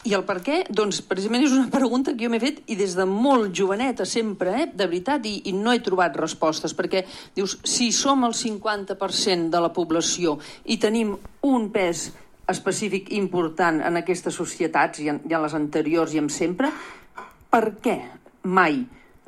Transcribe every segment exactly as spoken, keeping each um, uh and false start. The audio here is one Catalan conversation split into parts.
I el per què? Doncs precisament és una pregunta que jo m'he fet i des de molt joveneta sempre, eh, de veritat, i, i no he trobat respostes, perquè dius, si som el cinquanta per cent de la població i tenim un pes específic important en aquestes societats, i en, i en les anteriors i en sempre, per què mai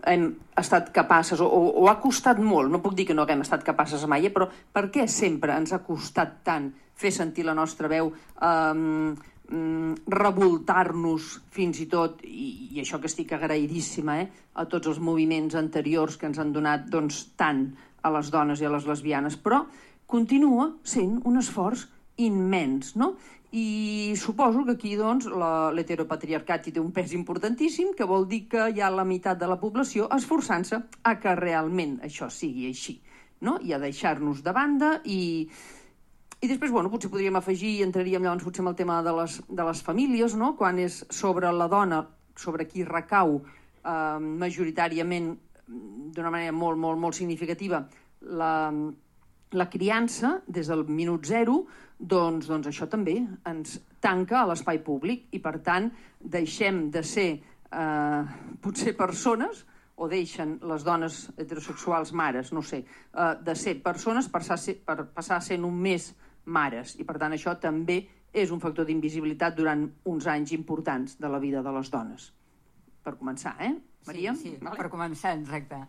hem estat capaces, o, o, o ha costat molt, no puc dir que no haguem estat capaces mai, eh, però per què sempre ens ha costat tant fer sentir la nostra veu, eh, revoltar-nos fins i tot, i, i això que estic agraïdíssima, eh, a tots els moviments anteriors que ens han donat doncs, tant a les dones i a les lesbianes, però continua sent un esforç immens, no? I suposo que aquí doncs, l'heteropatriarcat hi té un pes importantíssim, que vol dir que hi ha la meitat de la població esforçant-se a que realment això sigui així, no? I a deixar-nos de banda i... I després, bueno, potser podríem afegir, i entraríem llavors potser amb el tema de les, de les famílies, no? Quan és sobre la dona, sobre qui recau eh, majoritàriament, d'una manera molt, molt, molt significativa, la, la criança, des del minut zero, doncs, doncs això també ens tanca a l'espai públic i, per tant, deixem de ser eh, potser persones, o deixen les dones heterosexuals mares, no sé, eh, de ser persones per, ser, per passar a ser només mares. I, per tant, això també és un factor d'invisibilitat durant uns anys importants de la vida de les dones. Per començar, eh, Maria? Sí, sí, vale. Per començar, exacte.